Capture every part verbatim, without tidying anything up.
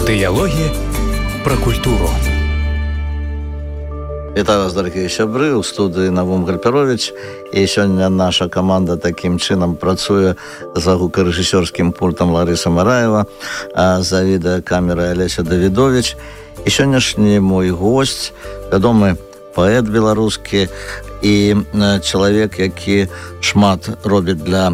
Дыялогі пра культуру. Вітаю вас, дарагія сябры, у студыі Навум Гальперович. І сёння наша каманда такім чынам працуе за гукарэжысёрскім пультам Ларыса Мараева, а за відэакамерай Алеся Давідович. І сённяшні мой госць, вядомы паэт беларускі і чалавек, які шмат робіць для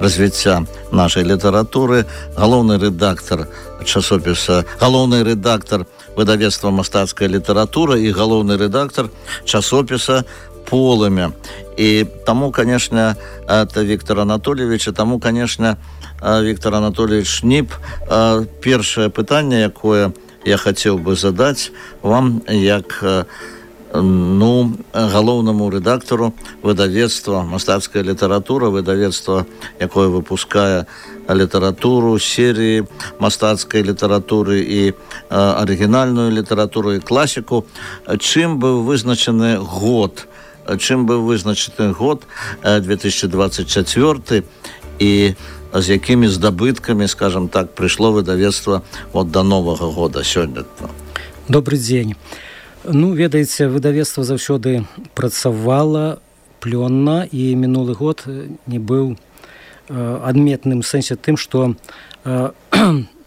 развіцця нашай літаратуры, галоўны рэдактар часопіса, галоўны рэдактар выдавецтва «Мастацкая літаратура» і галоўны рэдактар часопіса «Полымя». І таму, канешне, это Віктор Анатольевич, і таму, канешне, Віктор Анатольевич Ніп, першае пытанне, якое я хацеў бы задаць вам як ну, галоўнаму рэдактару выдавецтва «Мастацкая літаратура», выдавецтва, якое выпускае літаратуру, серыі мастацкай літаратуры і арыгінальную літаратуру і класіку. Чым быў вызначаны год, чым быў вызначаны год две тысячи двадцать четвёрты і з якімі здабыткамі, скажем так, прыйшло выдавецтва от до новага года сёння? Добрый дзень. Ну, ведаеце, выдавецтва заўсёды працавала плённа, і мінулы год не быў адметным сэнсе тым, што э,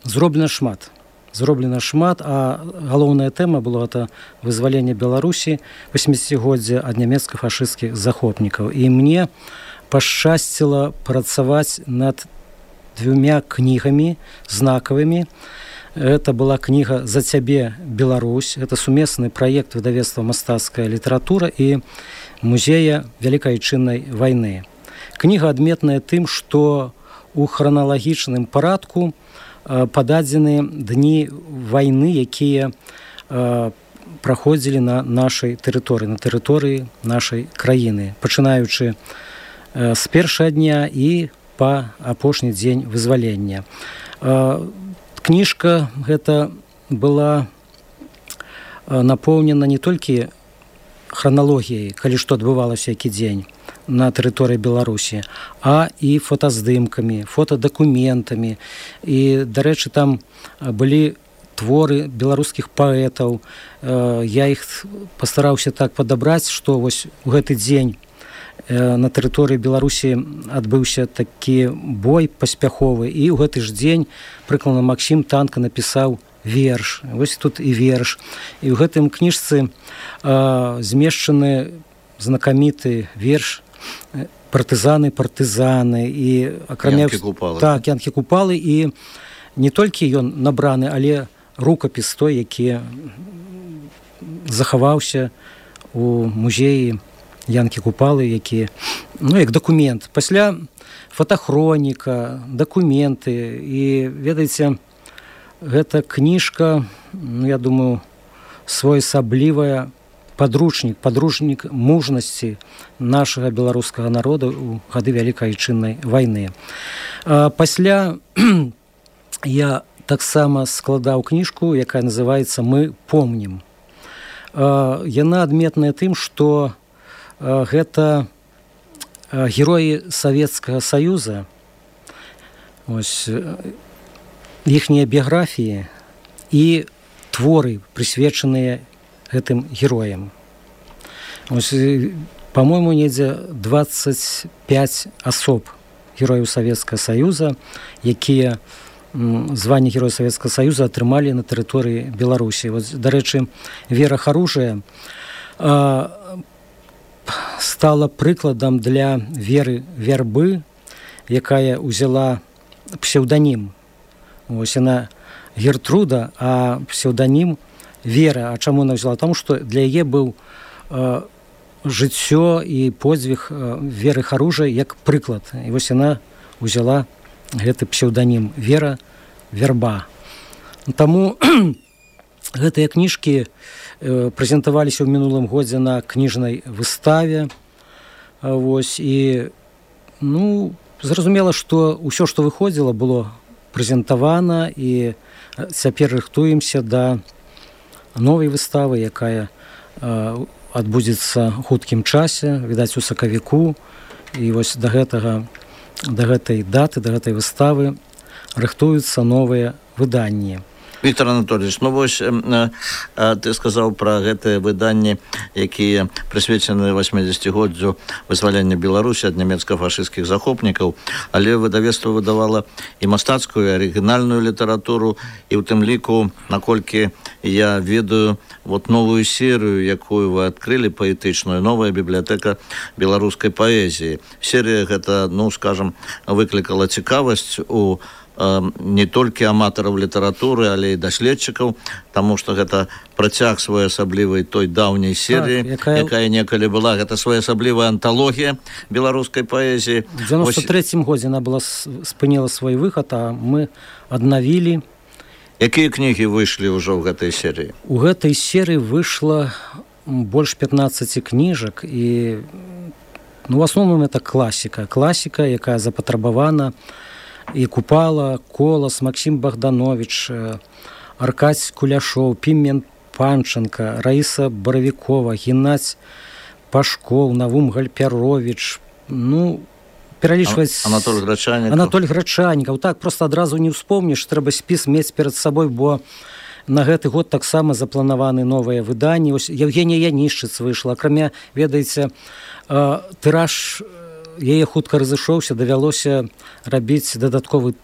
зроблена шмат. Зроблена шмат, а галоўная тэма была это вызваленне Беларусі восьмідзесяцігоддзя ад нямецка-фашысцкіх захопнікаў. І мне пашчасціла працаваць над двумя кнігамі знакавымі. Это была кніга «За цябе, Беларусь». Это сумесны праект выдавецтва «Мастацкая літаратура» і музея Вялікай Айчыннай вайны. Кніга адметная тым, што ў храналагічным парадку пададзены дні вайны, якія праходзілі на нашай тэрыторыі, на тэрыторыі нашай краіны, пачынаючы з першага дня і па апошні дзень вызвалення. Кніжка гэта была напоўнена не толькі храналогіяй, калі што адбывалася які дзень на тэрыторыі Беларусі, а і фотаздымкамі, фотадакументамі. І, дарэчы, там былі творы беларускіх паэтаў. Я іх пастараўся так падабраць, што вось у гэты дзень на тэрыторыі Беларусі адбыўся такі бой паспяховы, і ў гэты ж дзень прыкладна Максім Танка напісаў верш. Вось тут і верш. І ў гэтым кніжцы змешчаны знакаміты верш партызаны, партызаны і акрамя Янкі-Купалы. Так, Янкі-Купалы, і не толькі ён набраны, але рукапіс той, які захаваўся у музеі Янкі-Купалы, які, ну, як дакумент. Пасля фотахроніка, дакументы, і, ведаеце, гэта кніжка, ну, я думаю, своеасаблівая падручнік, падручнік мужнасці нашага беларускага народа ў гады Вялікай Айчыннай вайны. А пасля я таксама складаў кніжку, якая называецца «Мы помнім». А, яна адметная тым, што а, гэта а, героі Савецкага Саюза, ось, іхнія біяграфіі і творы, прысвечаныя гэтым героям. Ось, по-моему, недзе двадцать пять асоб герояў Савецкага Саюза, якія званне Героя Савецкага Саюза атрымалі на тэрыторыі Беларусі. Вот, дарэчы, Вера Харужая а, стала прыкладам для Веры Вярбы, якая ўзяла псеўданім. Ось яна Гертруда, а псеўданім Вера. А чаму она взяла? Тому што для яе быў э, жыццё і подзвіг э, Веры Харужай як прыклад. І вось яна взяла гэты псеўданім Вера Вярба. Таму гэтыя кніжкі э, прэзентаваліся ў мінулым годзе на кніжнай выставе. Вось, і ну, зразумела, што ўсё, што выходзіла, было прэзентавана, і цяпер рыхтуемся да новай выставы, якая э, адбудзецца хуткім часе, відаць, у сакавіку. І вось да гэтага, да гэтай даты, да гэтай выставы рыхтуюцца новыя выданні. Віктор Анатольевич, ну вось ты сказаў пра гэтыя выданні, якія прысвечаны восьмідзесяцігоддзю вызвалення Беларусі ад нямецка-фашысцкіх захопнікаў, але выдавецтва выдавала і мастацкую, і арыгінальную літаратуру, і ў тым ліку, наколькі я ведаю, вот новую серыю, якую вы адкрылі, паэтычную, новая бібліятэка беларускай паэзіі. Серія гэта, ну, скажам, выклікала цікавасць у не толькі аматараў літаратуры, але і даследчыкаў, таму што гэта працяг своеасаблівай той даўняй серыі, так, якая... якая некалі была. Гэта своеасаблівая анталогія беларускай паэзіі. У дзевяносто трэцім годзе она была спыніла свой выхад, а мы аднавілі. Якія кнігі выйшлі ўжо ў гэтай серыі? У гэтай серыі выйшла больш пятнаццаць кніжак, і ну, в асноўным это класіка. Класіка, якая запатрабавана. І Купала, Колас, Максим Богданович, Аркадь Куляшоў, Пімен Панченко, Раиса Боровикова, Геннадзь Пашков, Навум Гальпярович, ну, пералічваць... Анатоль Грачанікаў. Анатоль Грачанікаў. Так, просто адразу не ўспомніш, трэба спіс мець перад сабой, бо на гэты год таксама запланаваны новыя выданні. Ось Евгения Янішчыц выйшла. Акрамя, ведаеце, тыраж... яе хутка разышоўся, давялося рабіць дадатковы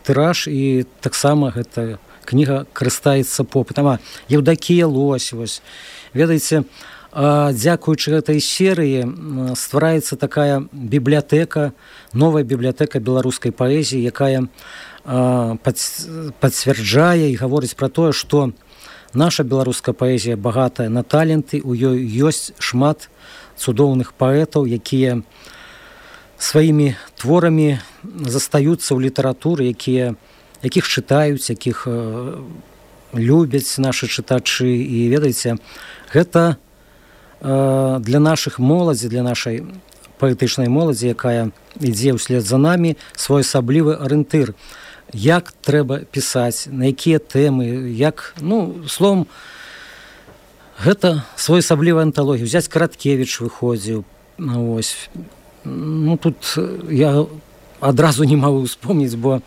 тыраж, і таксама гэта кніга карыстаецца попытам. А Евдокія Лось, вось. Ведаеце, дзякуючы гэтай серыі ствараецца такая бібліятэка, новая бібліятэка беларускай паэзіі, якая пацвярджае і гаворыць пра тое, што наша беларуская паэзія багатая на таленты, у ёй ёсць шмат цудоўных паэтаў, якія сваімі творамі застаюцца ў літаратуры, якія, якіх чытаюць, якіх э, любяць нашы чытачы. І ведаеце, гэта э, для нашых моладзі, для нашай паэтычнай моладзі, якая ідзе ўслед за намі, своеасаблівы арыентыр. Як трэба пісаць, на якія тэмы, як, ну, словом, гэта своеасаблівая анталогія. Взяць Караткевіч выходзіў, ось. Ну, тут я адразу не магу успомніць, бо...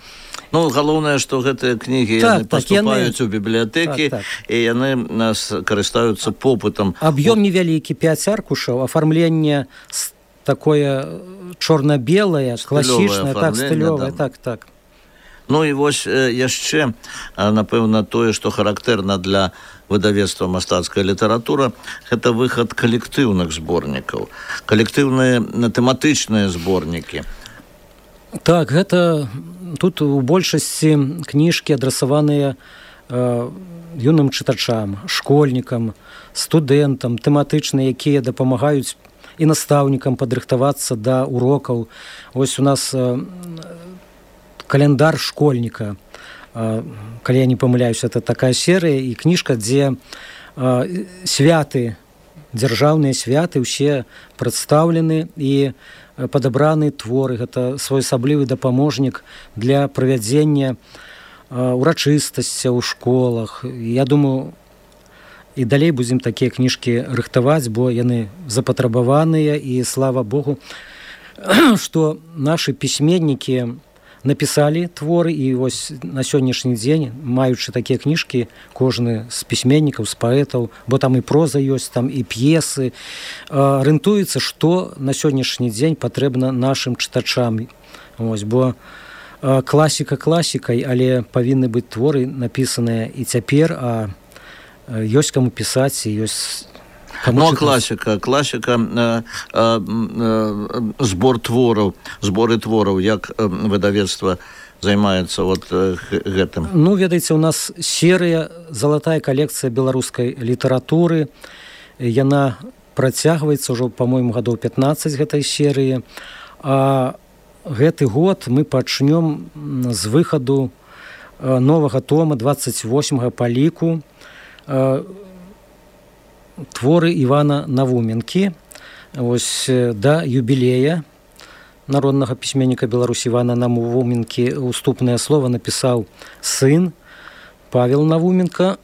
Ну, галоўнае, што гэтыя кнігі так, яны так, паступаюць яны... у бібліятэкі, так, так. І яны нас карыстаюцца попытам. Аб'ём невялікі, пяць аркушаў, афармленне такое чорна-белае, класічнае, так, стылёвае, так, так. Ну і вось яшчэ, напэўна, тое, што характэрна для выдавецтва мастацкая літаратура, гэта выхад калектыўных зборнікаў, калектыўныя тэматычныя зборнікі. Так, гэта тут у большасці кніжкі адрасаваныя э, юным чытачам, школьнікам, студэнтам, тэматычныя, якія дапамагаюць і настаўнікам падрыхтавацца да урокаў. Вось у нас э, календар школьніка, калі я не памыляюсь, это такая серыя і кніжка, дзе святы, дзяржаўныя святы ўсе прадстаўлены і падабраны творы. Гэта своеасаблівы дапаможнік для правядзення урачыстасця ў школах. Я думаю, і далей будзем такія кніжкі рыхтаваць, бо яны запатрабаваныя, і слава Богу, што нашы пісьменнікі напісалі творы, і вось на сённяшні дзень, маючы такія кніжкі, кожны з пісьменнікаў, з паэтаў, бо там і проза ёсць, там і п'есы, арыентуецца, што на сённяшні дзень патрэбна нашым чытачам. Вось, бо класіка класікай, але павінны быць творы напісаныя і цяпер, а ёсць каму пісаць, і ёсць... Ну, а класіка, класіка, э, э, э, збор твораў, зборы твораў, як выдавецтва займаецца вот э, гэтым? Ну, ведаеце, у нас серыя, залатая калекцыя беларускай літаратуры, яна працягваецца ўжо, па-мойму, гадоў пятнаццаць гэтай серыі, а гэты год мы пачнём з выхаду новага тома, дваццаць восьмага па ліку, э, творы Івана Навуменкі, вось да юбілея народнага пісьменніка Беларусі Івана Навуменкі уступнае слова напісаў сын Павел Навуменка.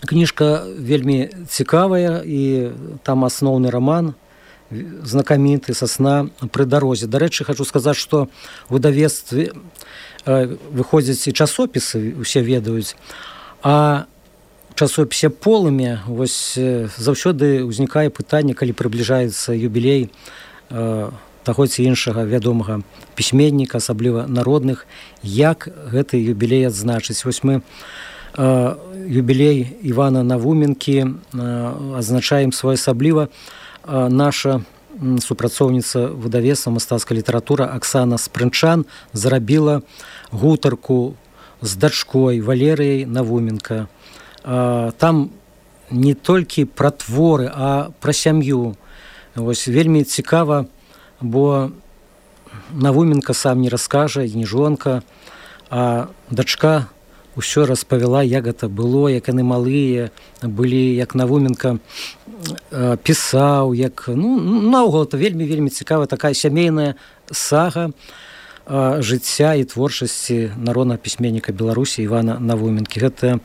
Кніжка вельмі цікавая, і там асноўны раман знакаміты «Сасна пры дарозе». Дарэчы, хочу сказаць, што ў выдавецтве выходзяць і часопісы, усе ведаюць, а часопісе «Полымя» вось заўсёды ўзнікае пытанне, калі прыбліжаецца юбілей э, таго ці іншага вядомага пісьменніка, асабліва народных, як гэты юбілей адзначыць. Вось мы э, юбілей Івана Навуменкі э, адзначаем своеасабліва. Э, наша супрацоўніца выдавецтва «Мастацкая літаратура» Аксана Спрынчан зрабіла гутарку з дачкой Валерыяй Навуменка. Там не толькі пра творы, а пра сям'ю. Вось вельмі цікава, бо Навуменка сам не раскажа, не жонка, а дачка ўсё распавяла, як гэта было, як яны малыя былі, як Навуменка пісаў, як, ну, наогул это вельмі-вельмі цікава, такая сямейная сага жыцця і творчасці народнага пісьменніка Беларусі Івана Навуменкі. Гэта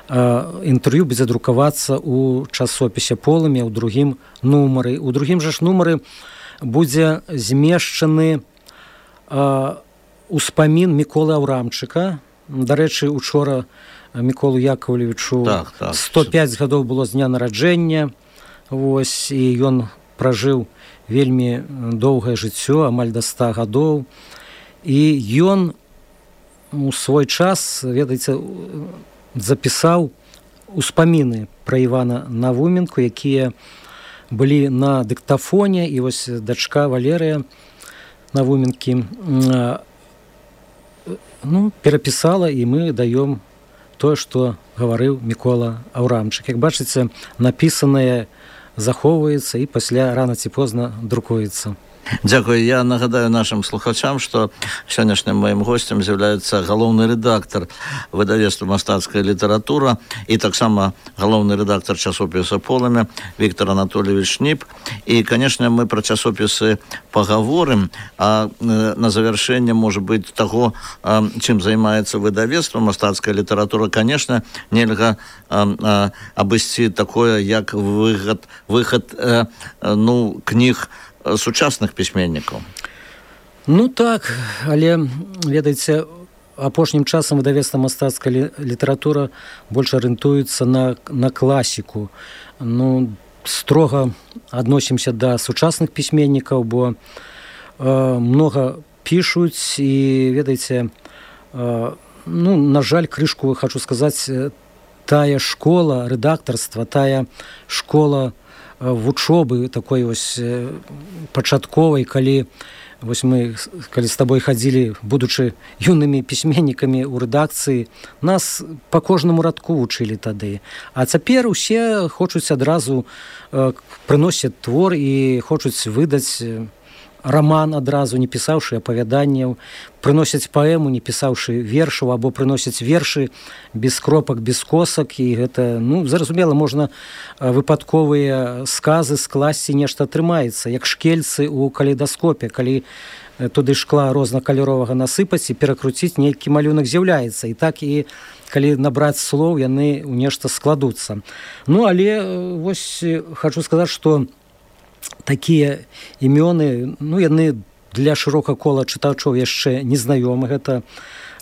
інтэрв'ю будзе друкавацца ў часопісе «Полымя» ў другім нумары. У другім жа ж нумары будзе змешчаны успамін Міколы Аўрамчыка. Дарэчы, учора Міколу Яковлевичу так, так. сто пяць гадоў было з дня нараджэння. Вось, і ён пражыў вельмі доўгае жыццё, амаль да ста гадоў. І ён у свой час, ведаеце, запісаў успаміны пра Івана Навуменку, якія былі на дыктафоне, і вось дачка Валерыя Навуменкі ну, перапісала, і мы даём тое, што гаварыў Мікола Аўрамчык. Як бачыце, напісанае захоўваецца і пасля рана ці позна друкуецца. Дзякую. Я нагадаю нашим слухачам, што сённяшнім маім гостем з'яўляецца галоўны рэдактар выдавецтва «Мастацкая літаратура» і таксама галоўны рэдактар часопіса «Полымя» Віктор Анатольевич Шніп. І, канешне, мы пра часопісы пагаворым, а на завяршэнне, можа быць, таго, чым займаецца выдавецтва «Мастацкая літаратура», канешне, нельга абысці такое, як выхад, выхад ну, кніг сучасных пісьменнікаў. Ну так, але, ведаеце, апошнім часам выдавецтва «Мастацкая літаратура» больш арыентуецца на, на класіку. Ну, строга адносімся да сучасных пісьменнікаў, бо э, многа пішуць і, ведаеце, э, ну, на жаль, крышку, хочу сказаць, тая школа рэдактарства, тая школа вучобы такой вось пачатковай, калі вось мы калі з табой хадзілі, будучы юнымі пісьменнікамі ў рэдакцыі, нас па кожнаму радку вучылі тады. А цяпер усе хочуць адразу э, прыносяць твор і хочуць выдаць раман адразу, не пісаўшы апавяданняў, прыносяць паэму, не пісаўшы вершаў, або прыносяць вершы без кропак, без косак, і гэта, ну, зразумела, можна выпадковыя сказы скласці, нешта атрымаецца, як шкельцы ў калейдаскопе, калі туды шкла рознакаляровага насыпаць і перакруціць, нейкі малюнак з'яўляецца. І так і калі набраць слоў, яны ў нешта складуцца. Ну, але вось хочу сказаць, што такія імёны, ну, яны для шырокага кола чытачоў яшчэ незнаёмы. Гэта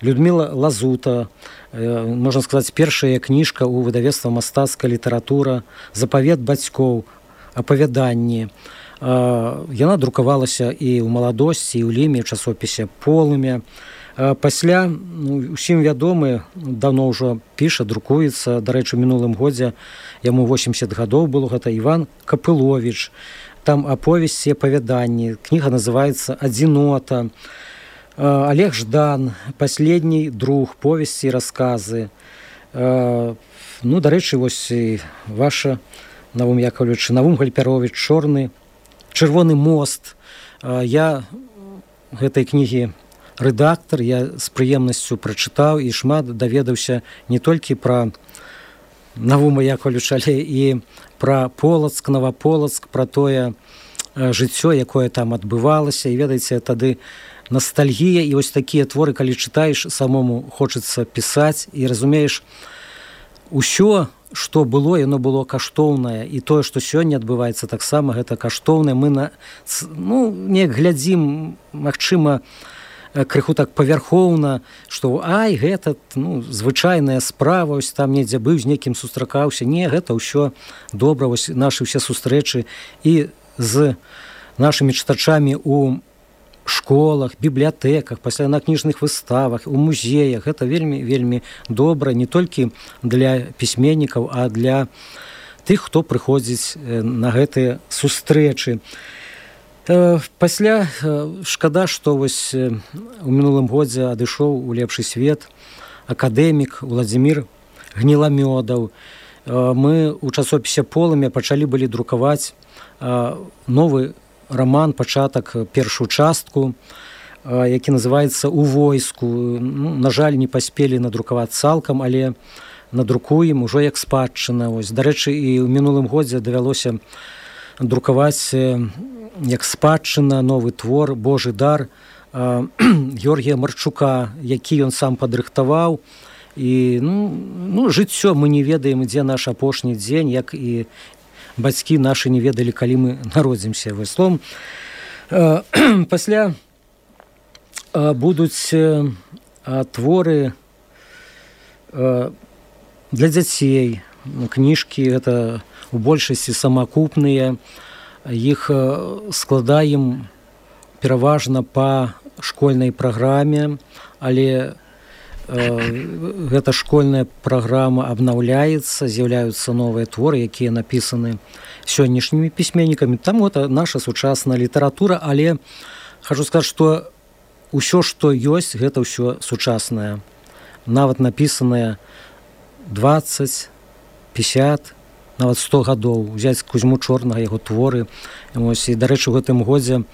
Людміла Лазута, э, можна сказаць, першая кніжка ў выдавецтва «Мастацкая літаратура», «Запавет бацькоў», апавяданні. Э, яна друкавалася і ў маладосці, і ў Ліме, ў часопісе «Полымя». Э, пасля, ну, усім вядомы, даўно ўжо піша, друкуецца. Дарэчы, у мінулым годзе яму восемьдесят гадоў было, гэта Іван Капыловіч. Там аповесці, апавяданні. Кніга называецца «Адзінота». Олег Ждан, «Последний друг», повесці і расказы. Ну, дарэчы, вось ваша, Навум Яковлевич, Навум Гальпярович, «Чорны, чырвоны мост». Я гэтай кнігі рэдактар, я з прыемнасцю прачытаў і шмат даведаўся не толькі пра Навума Яковлевича, але і пра Полацк, Новополацк, пра тое жыццё, якое там адбывалася. І, ведаеце, тады ностальгія, і вось такія творы, калі чытаеш, самому хочацца пісаць, і разумееш, усё, што было, яно было каштоўнае, і тое, што сёння адбываецца таксама, гэта каштоўнае. Мы на, ну, неяк глядзім, магчыма, крыху так павярхоўна, што ай, гэта, ну, звычайная справа, ось там недзе быў, з некім сустракаўся. Не, гэта ўсё добра, ось нашы ўсе сустрэчы і з нашымі чытачамі у школах, бібліятэках, пасля на кніжных выставах, у музеях. Гэта вельмі, вельмі добра не толькі для пісьменнікаў, а для тых, хто прыходзіць на гэтыя сустрэчы. Пасля шкада, што вось у мінулым годзе адышоў у лепшы свет акадэмік Уладзімір Гніламёдаў. Мы ў часопісе «Полымя» пачалі былі друкаваць новы роман, пачатак, першую частку, які называецца «У войску». Ну, на жаль, не паспелі надрукаваць цалкам, але надрукуем ужо як спадчына. Ось, дарэчы, і ў мінулым годзе давялося друкаваць як спадчына новы твор «Божы дар» Георгія Марчука, які ён сам падрыхтаваў. І ну, ну, жыццё мы не ведаем, ідзе наш апошні дзень, як і бацькі нашы не ведалі, калі мы народзімся. Словом, пасля будуць творы для дзяцей, кніжкі, гэта у большасці самакупныя. Іх складаем пераважна па школьнай праграме, але гэта школьная праграма абнаўляецца, з'яўляюцца новыя творы, якія напісаны сённяшнімі пісьменнікамі. Там гэта наша сучасная літаратура, але хачу сказаць, што ўсё, што ёсць, гэта ўсё сучаснае. Нават напісанае дваццаць, пяцьдзясят, нават сто гадоў. Узяць Кузьму Чорнага, яго творы. Ось, і, дарэчы, у гэтым годзе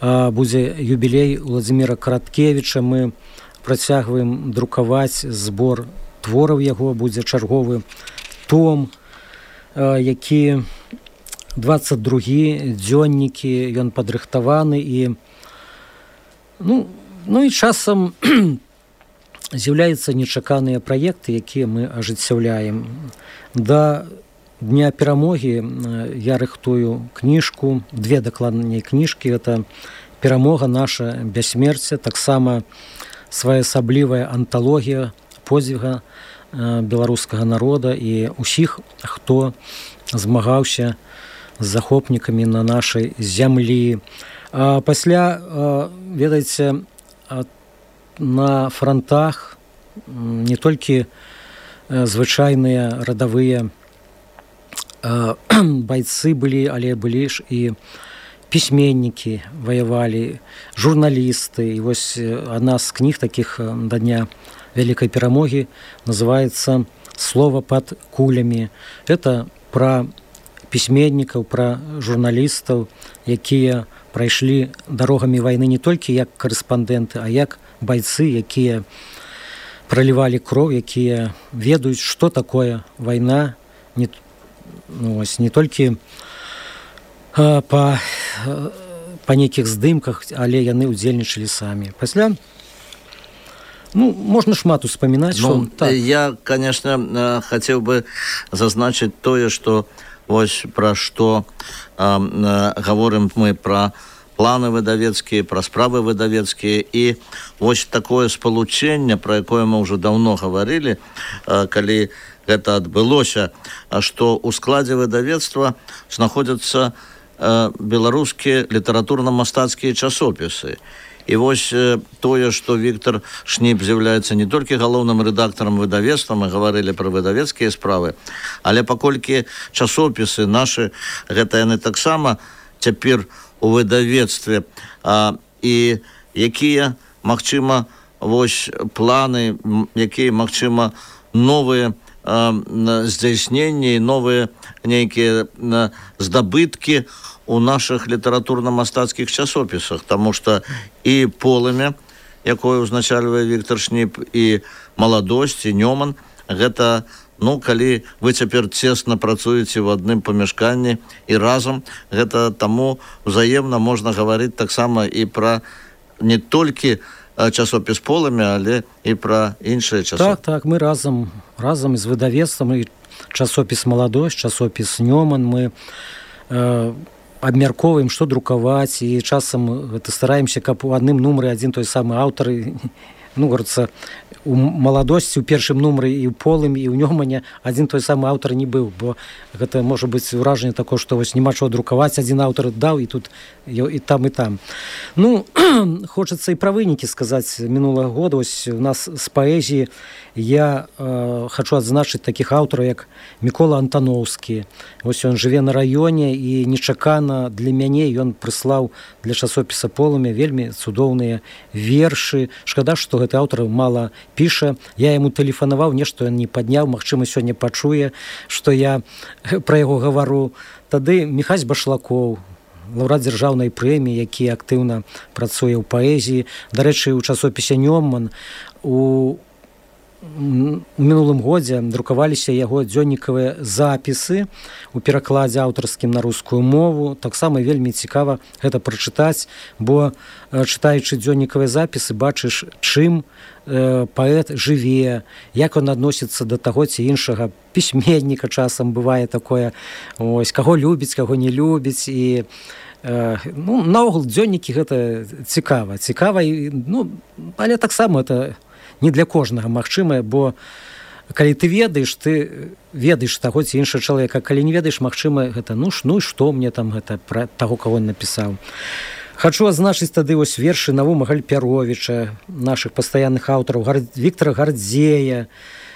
а, будзе юбілей Уладзіміра Караткевіча. Мы працягваем друкаваць збор твораў яго. Будзе чарговы том, а, які дваццаць другі дзённікі, ён падрыхтаваны. І, ну, ну і часам з'яўляюцца нечаканыя праекты, якія мы ажыццяўляем. Да Дня перамогі я рыхтую кніжку, две дакладней кніжкі. Гэта «Перамога наша бяссмерце», таксама своеасаблівая анталогія подзвіга беларускага народа і ўсіх, хто змагаўся з захопнікамі на нашай зямлі. А пасля, ведаеце, на фронтах не толькі звычайныя радавыя байцы былі, але былі ж і пісьменнікі ваявалі, журналісты. І вось адна з кніг такіх да Дня вялікай перамогі называецца «Слова пад кулямі». Гэта пра пісьменнікаў, пра журналістаў, якія прайшлі дарогамі вайны не толькі як карэспандэнты, а як байцы, якія пралівалі кроў, якія ведаюць, што такое вайна, не Ну, ось, не толькі а, па, па нейкіх здымках, але яны ўдзельнічалі самі. Пасля, ну, можна шмат успамінаць. Ну, што, так. Я, конечно, хацеў бы зазначыць тое, што вось пра што а, гаворым мы пра планы выдавецкія, пра справы выдавецкія. І вось такое спалучэнне, пра якое мы ўжо даўно гаварылі, а, калі гэта адбылося, што ў складзе выдавецтва знаходзяцца э, беларускія літаратурна-мастацкія часопісы. І вось э, тое, што Віктор Шніп з'яўляецца не толькі галоўным рэдактарам выдавецтва, мы гаварылі пра выдавецкія справы, але паколькі часопісы нашы, гэта яны таксама цяпер у выдавецтве, а, і якія, магчыма, вось планы, якія, магчыма, новыя здзяйсненні, новыя нейкія здабыткі у нашых літаратурна-мастацкіх часопісах, таму што і «Полымя», якое ўзначальвае Віктор Шніп, і «Маладосць», і «Нёман», гэта, ну, калі вы цяпер цесна працуеце ў адным памяшканні і разам, гэта таму ўзаемна можна гаварыць таксама і пра не толькі часопіс «Полымя», але і пра іншыя часопісы. Так, так, мы разам, разам з выдавецтвам, і часопіс «Маладосць», часопіс «Нёман». Мы э, абмяркоўваем, што друкаваць, і часам гэта стараемся, каб у адным нумары адзін той самы аўтар, ну, говорится, у «Маладосці» у першым нумары і ў «Полымі», і ў «Нёмане» адзін той самы аўтар не быў, бо гэта можа быць ўражанне такое, што вось няма чого друкаваць, адзін аўтар даў, і тут і там, і там. Ну, хочацца і пра вынікі сказаць мінулага года. Вось у нас з паэзіі я э, хочу адзначыць такіх аўтараў, як Мікола Антаноўскі. Вось ён жыве на раёне, і нечакана для мяне ён прыслаў для часопіса «Полымя» вельмі цудоўныя вершы. Шкада, што гэты аўтар мала піша. Я яму тэлефанаваў, нешта ён не падняў, магчыма, сёння пачуе, што я пра яго гавару. Тады Міхась Башлакоў, лаўрэат дзяржаўнай прэміі, які актыўна працуе ў паэзіі. Дарэчы, у часопісе «Нёман» у у мінулым годзе друкаваліся яго дзённікавыя запісы у перакладзе аўтарскім на рускую мову. Таксама вельмі цікава гэта прачытаць, бо чытаючы дзённікавыя запісы, бачыш, чым э, паэт жыве, як ён адносіцца да таго ці іншага пісьменніка. Часам бывае такое, ось, каго любіць, каго не любіць. І э, ну, наогул дзённікі гэта цікава, цікава, і, ну, але таксама это не для кожнага магчыма, бо калі ты ведаеш, ты ведаеш таго ці іншага чалавека. Калі не ведаеш, магчыма, гэта ну ж, ну і што мне там гэта пра таго, каго он напісаў. Хачу адзначыць тады вось вершы Навума Гальпяровіча, нашых пастаянных аўтараў, Гар... Віктара Гардзея,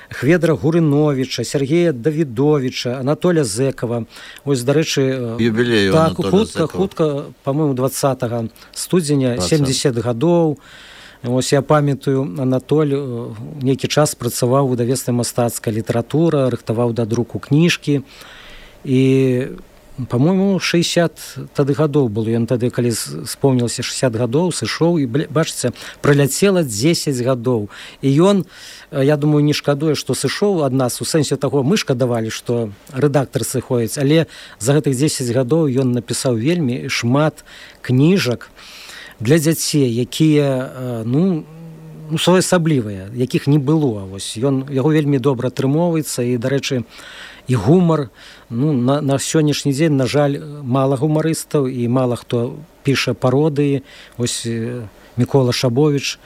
Хведра Гурыновіча, Сергея Давідовіча, Анатоля Зэкава. Ось, дарэчы, юбілею так, Анатоля хутка, Зэкава. хутка, па-моему, двадцатага студзеня, семьдесят гадоў. Ось я памятаю, Анатоль нейкі час працаваў у выдавецтве «Мастацкая літаратура», рыхтаваў да друку кніжкі. І, па-моему, шэсцьдзесят тады гадоў было. Ён тады, калі спомнілася шэсцьдесят гадоў, сышоў, і, бачыце, праляцела дзесяць гадоў. І ён, я думаю, не шкадуе, што сышоў ад нас, у сэнсе таго, мы шкадавалі, што рэдактар сыходзіць, але за гэтых дзесяць гадоў ён напісаў вельмі шмат кніжак для дзяцей, якія, ну, ну своеасаблівыя, якіх не было. Вось ён, яго вельмі добра атрымоўваецца, і, дарэчы, і гумар, ну, на, на сённяшні дзень, на жаль, мала гумарыстаў, і мала хто піша пародыі. Вось Мікола Шабовіч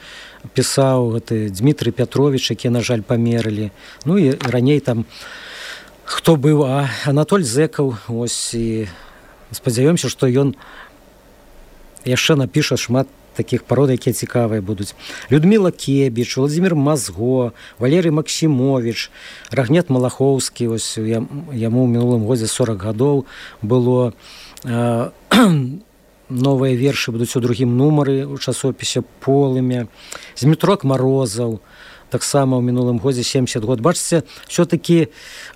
пісаў, гэты Дмітрый Пятровіч, які, на жаль, памерлі. Ну і раней там хто быў, а Анатоль Зэкаў, ось, і спадзяёмся, што ён яшчэ напіша шмат такіх парод, якія цікавыя будуць. Людміла Кебіч, Владзімір Мазго, Валерый Максімовіч, Рагнет Малахоўскі, ось яму ў мінулым годзе сорок гадоў было. Э, новыя вершы будуць у другім нумары у часопісе «Полымя». Змітрок Марозаў, таксама ў мінулым годзе семьдесят год. Бачыце, все-таки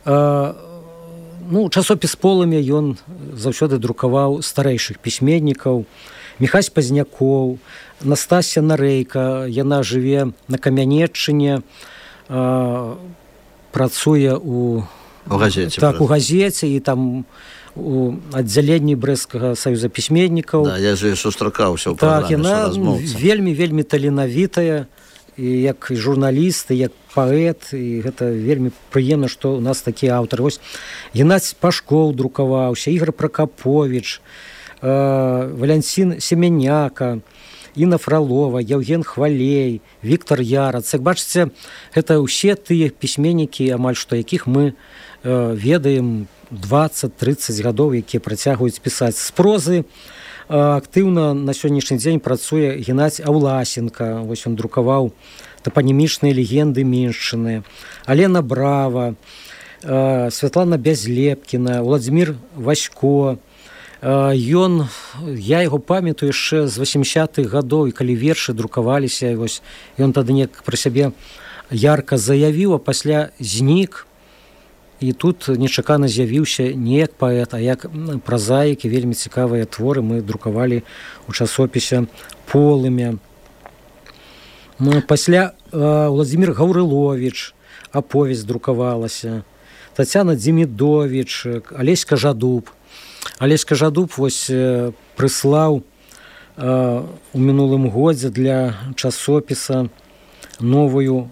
э, ну, часопіс «Полымя» ён заўсёды друкаваў старэйшых пісьменнікаў. Міхась Пазнякоў, Настасья Нарэйка, яна жыве на Камянеччыне, э, працуе у, у газеце, так, у газеце, і там у аддзяленні Брэсцкага саюза пісьменнікаў. Да, я же сустракаўся ў праграме, так, яна вельмі вельмі таленавітая, і як журналіст, і як паэт, і гэта вельмі прыемна, што у нас такія аўтары. Вось Геннадзь Пашкоў друкаваўся, Ігор Пракаповіч, Валянцін Семеняка, Інна Фралова, Яўген Хвалей, Віктор Ярац. Як бачыце, гэта ўсе тыя пісьменнікі, амаль што якіх мы э, ведаем дваццаць-трыццаць гадоў, якія працягваюць пісаць. З прозы э, актыўна на сённяшні дзень працуе Геннадзь Аўласенка. Вось ён друкаваў тапанімічныя легенды Меншчыны. Алена Брава, э, Святлана Бязлепкіна, Владзімір Васько. Ён, я яго памятаю яшчэ з васемдзясятых гадоў, і калі вершы друкаваліся, вось ён тады неяк пра сябе ярка заявіў, а пасля знік, і тут нечакана з'явіўся не як паэт, а як празаік, і вельмі цікавыя творы мы друкавалі у часопісе «Полымя». Пасля Владзімір Гаўрыловіч, аповесць друкавалася, Тацяна Дзімідовіч, Алесь Кажадуб. Алесь Кажадуб вось прыслаў э, у мінулым годзе для часопіса новую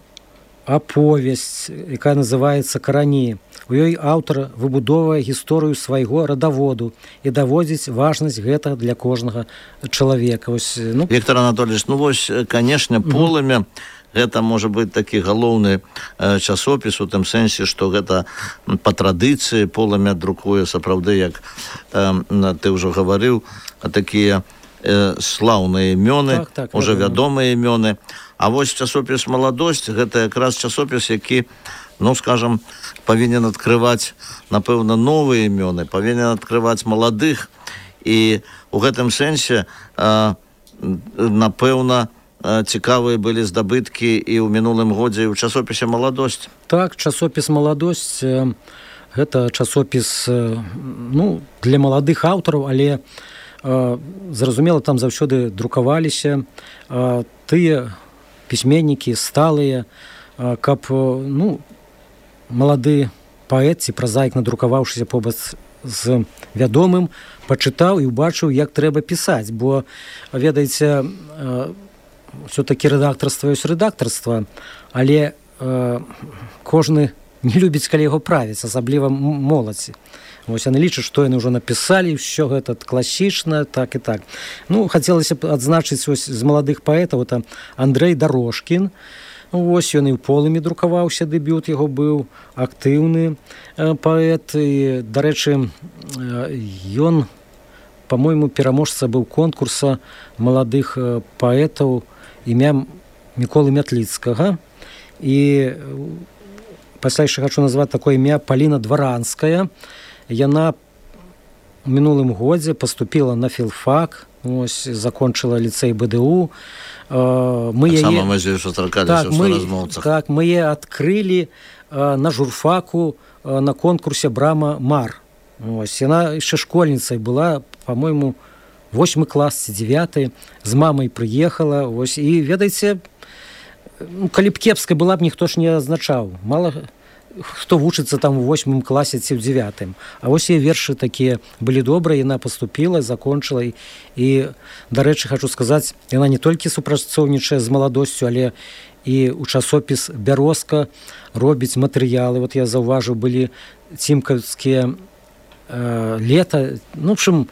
аповесць, якая называецца «Карані». У ёй аўтар выбудоўвае гісторыю свайго радаводу і даводзіць важнасць гэтага для кожнага чалавека. Вось, ну... Віктор Анатольевич, ну вось, канешне, полымя гэта можа быць такі галоўны э, часопіс у тым сэнсе, што гэта па традыцыі полымя друкуе сапраўды, як э, ты ўжо гаварыў, такія э, слаўныя імёны, так, так, уже вядомыя імёны. А вось часопіс «Маладосць» гэта якраз часопіс, які, ну, скажам, павінен адкрываць, напэўна, новыя імёны, павінен адкрываць маладых. І у гэтым сэнсе, э, напэўна, цікавыя былі здабыткі і ў мінулым годзе і ў часопісе «Маладосць». Так, часопіс «Маладосць» гэта часопіс, ну, для маладых аўтараў, але зразумела, там заўсёды друкаваліся тыя пісьменнікі сталыя, каб, ну, малады паэт ці празаік, надрукаваўшыся побач з вядомым, пачытаў і ўбачыў, як трэба пісаць, бо, ведаеце, все-таки рэдактарства ёсць рэдактарства, але э, кожны не любіць, калі яго правіць, асабліва моладзі. Вось яны лічаць, што яны ўжо напісалі, ўсё гэта класічна, так і так. Ну, хацелася б адзначыць ось з маладых паэтаў, это Андрэй Дарожкін. Вось ён і ў полымі друкаваўся, дэбют яго быў, актыўны э, паэт. І, дарэчы, э, ён, па-мойму, пераможца быў конкурса маладых э, паэтаў імя Міколы Мятліцкага. І пасля яшчэ хачу назваць такое імя Паліна Дваранская. Яна у мінулым годзе паступіла на філфак, ось, закончыла ліцэй БДУ. Мы яе... так, мы, так, мы яе адкрылі на журфаку на конкурсе «Брама Мар». Ось, яна яшчэ школьніцай была, па-мойму, восьмы клас ці дзевяты, з мамай прыехала, ось, і, ведаеце, ну, калі б кепска была б, ніхто ж не азначаў. Мала хто вучыцца там у восьмым класе ці ў дзевятым. А вось яе вершы такія былі добрыя, яна паступіла, закончыла. І, і дарэчы, хачу сказаць, яна не толькі супрацоўнічае з «Маладосцю», але і ў часопіс «Бярозка» робіць матэрыялы. Вот я заўважыў, былі цімкаўскія э, лета. Ну, в общем,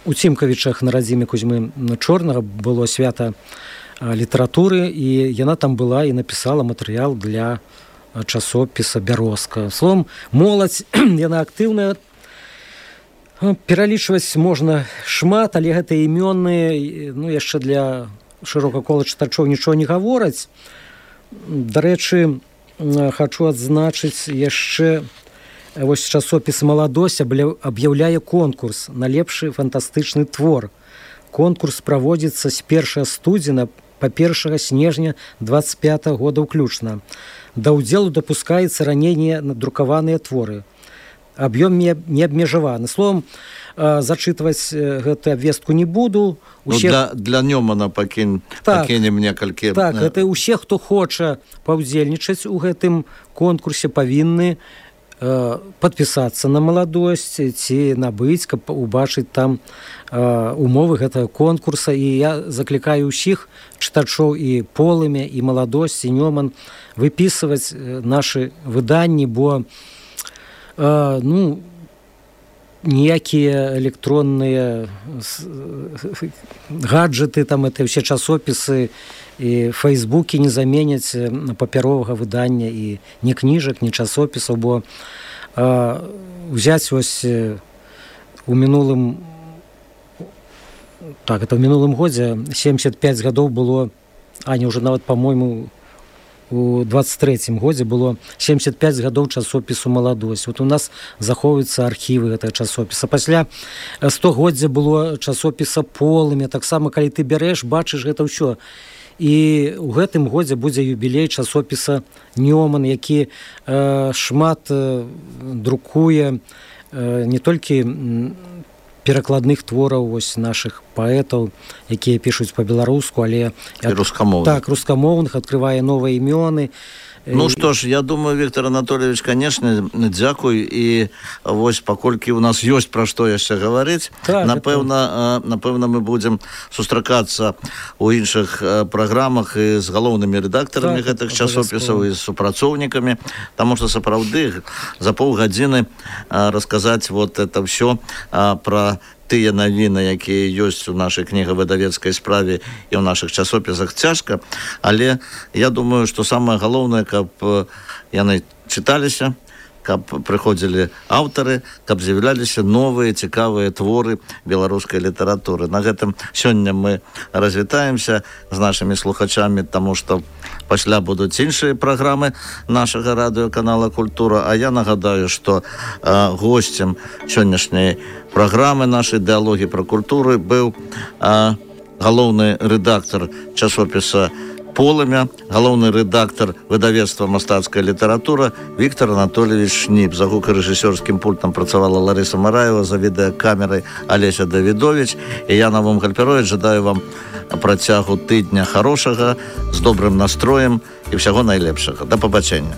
у Цімкавічах на радзіме Кузьмы Чорнага было свята літаратуры, і яна там была і напісала матэрыял для часопіса «Бярозка». Словом, моладзь, яна актыўная. Пералічваць можна шмат, але гэтыя імёны, ну, яшчэ для шырокага кола чытачоў нічого не гавораць. Дарэчы, хачу адзначыць яшчэ, вось часопіс «Маладосць» аб'яўляе конкурс на лепшы фантастычны твор. Конкурс праводзіцца з першага студзеня па першага снежня дваццаць пятага года ўключна. Да ўдзелу дапускаецца раней не надрукаваныя творы. Аб'ём не абмежаваны. Словом, зачытваць гэту абвестку не буду. Усе... Ну, для, для Нёмана пакін... так, пакінем некалькі... Так, гэта ўсе, хто хоча паўдзельнічаць у гэтым конкурсе, павінны падпісацца на «Маладосць» ці набыць, каб убачыць там умовы гэтага конкурса. І я заклікаю ўсіх чытачоў і «Полымя», і «Маладосць», і «Нёман» выпісваць нашы выданні, бо ну, ніякія электронныя гаджеты, там это ўсе часопісы і фейсбукі не заменяць папяровага выдання і ні кніжак, ні часопісаў, бо а, взяць вось у мінулым так, это ў мінулым годзе семьдесят пять гадоў было, а не ўжо нават, па-мойму, у двадцать третьем годзе было семьдесят пять гадоў часопісу «Маладосць». Вот у нас захоўваюцца архівы гэтага часопіса. Пасля стагоддзя было часопіса «Полымя». Таксама, калі ты бярэш, бачыш гэта ўсё. І ў гэтым годзе будзе юбілей часопіса «Нёман», які э, шмат э, друкуе э, не толькі перакладных твораў вось нашых паэтаў, якія пішуць па-беларуску, але і рускамоўных. Так, рускамоўных, адкрывае новыя імёны. Ну што ж, я думаю, Віктор Анатольевич, канешне, дзякуй, і вось паколькі у нас ёсць пра што яшчэ гаварыць, так, напэўна, напэўна мы будзем сустракацца ў іншых праграмах і з галоўнымі рэдактарамі так, гэтых часопісаў і з супрацоўнікамі, таму што сапраўды за паўгадзіны расказаць вот это ўсё пра тыя навіны, якія ёсць у нашай кнігавыдавецкай справе і ў нашых часопісах, цяжка, але я думаю, што самае галоўнае, каб яны чыталіся, каб прыходзілі аўтары, каб з'яўляліся новыя цікавыя творы беларускай літаратуры. На гэтым сёння мы развітаемся з нашымі слухачамі, таму што пасля будуць іншыя праграмы нашага радыёканала «Культура», а я нагадаю, што э, госцем сённяшняй праграмы нашай дыалогі пра культуру быў э, галоўны рэдактар часопіса «Полымя», галоўны рэдактар выдавецтва «Мастацкая літаратура» Віктор Анатольевич Шніп. За гукарэжысёрскім пультам працавала Ларыса Мараева, за відэакамерай Алеся Давідович. І я, Навум Гальперович, жадаю вам працягу тыдня хорошага, з добрым настроем і ўсяго найлепшага. Да пабачэння.